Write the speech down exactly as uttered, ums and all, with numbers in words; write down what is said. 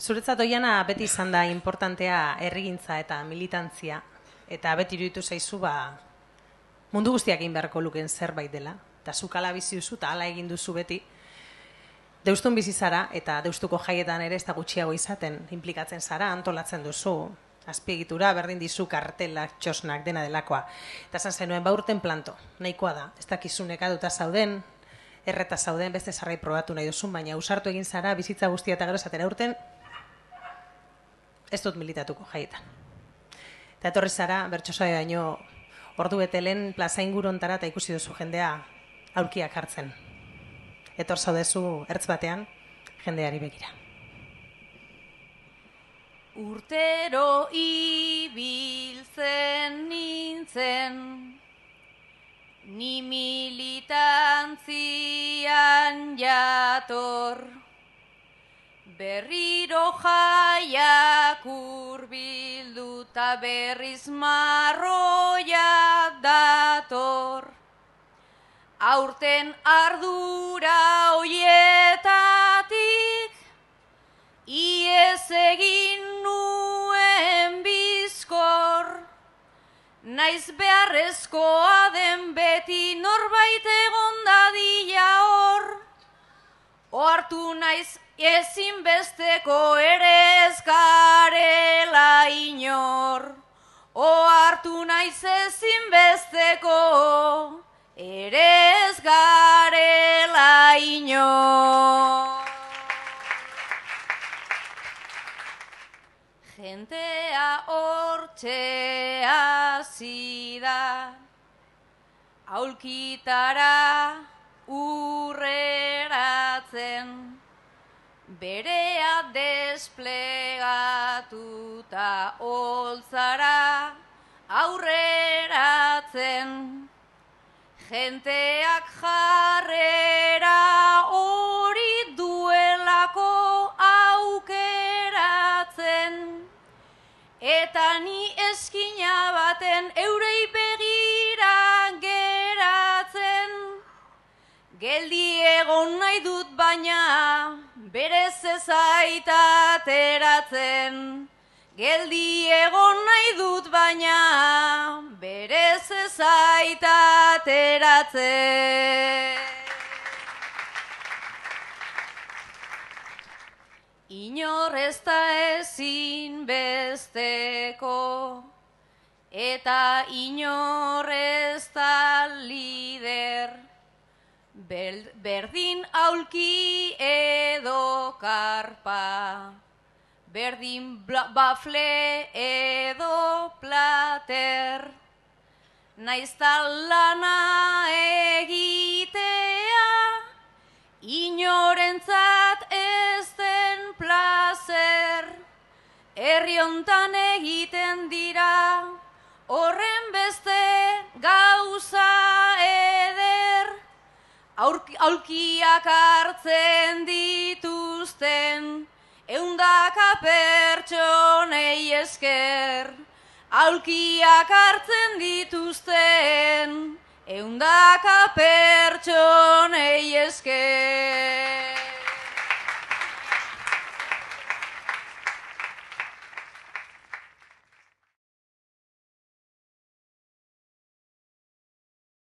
Zuretzat Oiana beti izan da importantea herrigintza eta militantzia, eta beti iruditu zaizu ba, mundu guztiak egin beharko lukeen zerbait dela, eta zuk ala bizi duzu eta ala egin duzu beti. Deustun bizi zara, eta deustuko jaietan ere ez da gutxiago izaten, implikatzen zara, antolatzen duzu, azpiegitura, berdin dizu, kartelak, txosnak, dena delakoa. Eta esan zenuen, ba urten planto, nahikoa da, ez dakizunek aduta zauden, erreta zauden, beste zarrai probatu nahi duzun, baina usartu egin zara, bizitza guztia eta gero esatera urten, ez dut militatuko jaietan. Eta etorri zara, bertsosaio baino, ordu betelen plaza ingurontara eta ikusi duzu jendea aurkiak hartzen. Etor zaudezu ertz batean, jendeari begira. Urtero ibiltzen nintzen, ni militantzian jator, berriro jaiak urbildu ta berriz marroia dator. Aurten ardura hoietatik, iez egin nuen bizkor, naiz beharrezkoa den beti norbait egon dadila hor, ohartu naiz ezinbesteko ere ez garela inor, ohartu naiz ezinbesteko ere ez garela inor. Jentea hortxe hasi da, aulkitara urreratzen, berea desplegatuta holtzara aurreratzen, jenteak jarrera hori duelako aukeratzen, eta ni eskina baten eurei begira geratzen. Geldi egon nahi dut baina berez ez aitateratzen. Geldi egon nahi dut baina berez ez aitateratzen. Inor ez da ezin besteko, eta inor ez da lider, berdin aulki edo karpa, berdin bafle edo plater, naizta lana egitea, inorentzat ez den plazer, herri hontan egiten dira, horren beste gauza eder, aulkiak hartzen dituzten, eundaka pertsonei esker, aulkiak hartzen dituzten, eundaka pertsonei esker.